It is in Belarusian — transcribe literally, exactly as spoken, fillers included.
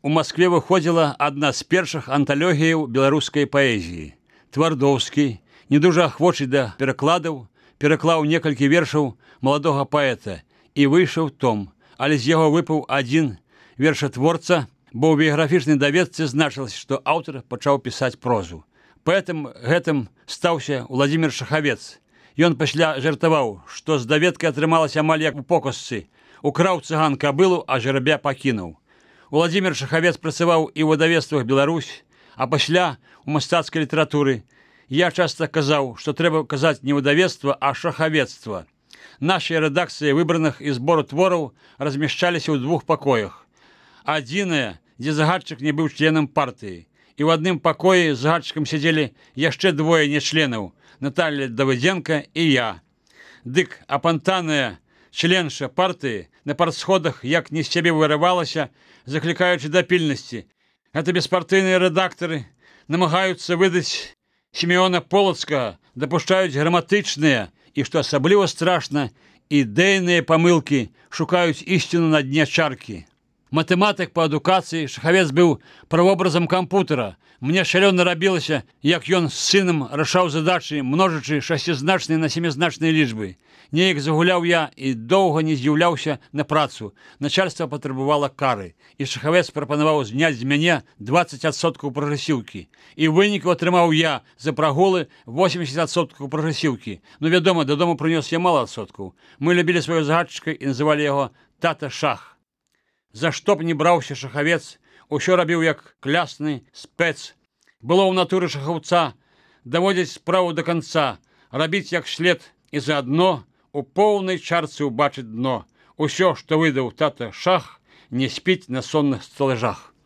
У Маскве выходзіла адна з першых анталогіяў беларускай паэзіі. Твардоўскі, не дужа ахвочы да перакладаў, пераклаў некалькі вершаў маладога паэта і выйшаў том, але з яго выпаў адзін вершатворца, бо ў біяграфічнай даведцы значылася, што аўтар пачаў пісаць прозу. Паэтам гэтым стаўся Уладзімір Шахавец. Ён пасля жартаваў, што з даведкай атрымалася амаль як у показцы. Украў цыган кабылу, а жерабя пакінуў. Уладзімір Шахавец працаваў і ў выдавецтвах Беларусь, а пасля у мастацкай літаратуры. Я часта казаў, што трэба казаць не выдавецтва, а шахавецтва. Нашыя рэдакцыі выбраных і збору твораў размяшчаліся ў двух пакоях. Адзінае, дзе загадчык не быў членам партыі. І ў адным пакоі з загадчыкам сядзелі яшчэ двое нечленаў – Наталья Давыдзенка і я. Дык апантаная членша партыі на партсходах як не з сябе вырывалася, заклікаючы да пільнасці. Гэта беспартыйныя рэдактары намагаюцца выдаць Сімеона Полацкага, дапушчаюць граматычныя і, што асабліва страшна, ідэйныя памылкі, шукаюць ісціну на дне чаркі. Матэматык па адукацыі, Шахавец быў правобразам кампутара. Мне шалёна рабілася, як ён з сынам рашаў задачы, множачы шасцізначныя на сямізначныя лічбы. Неяк загуляў я і доўга не з'яўляўся на працу. Начальства патрабавала кары, і Шахавец прапанаваў зняць з мяне дваццаць адсоткаў прагрэсіўкі. І выніку атрымаў я за прагулы восемьдесят адсоткаў прагрэсіўкі. Ну, вядома, дадому прынёс я мала адсоткаў. Мы любілі сваго загадчыка і называлі яго тата Шах. За што б не браўся Шахавец, усё рабіў як клясны спец. Было ў натуры шахаўца даводзіць справу да канца, рабіць як след і заадно у поўнай чарцы ўбачыць дно. Усё, што выдаў тата Шах, не спіць на сонных сталажах.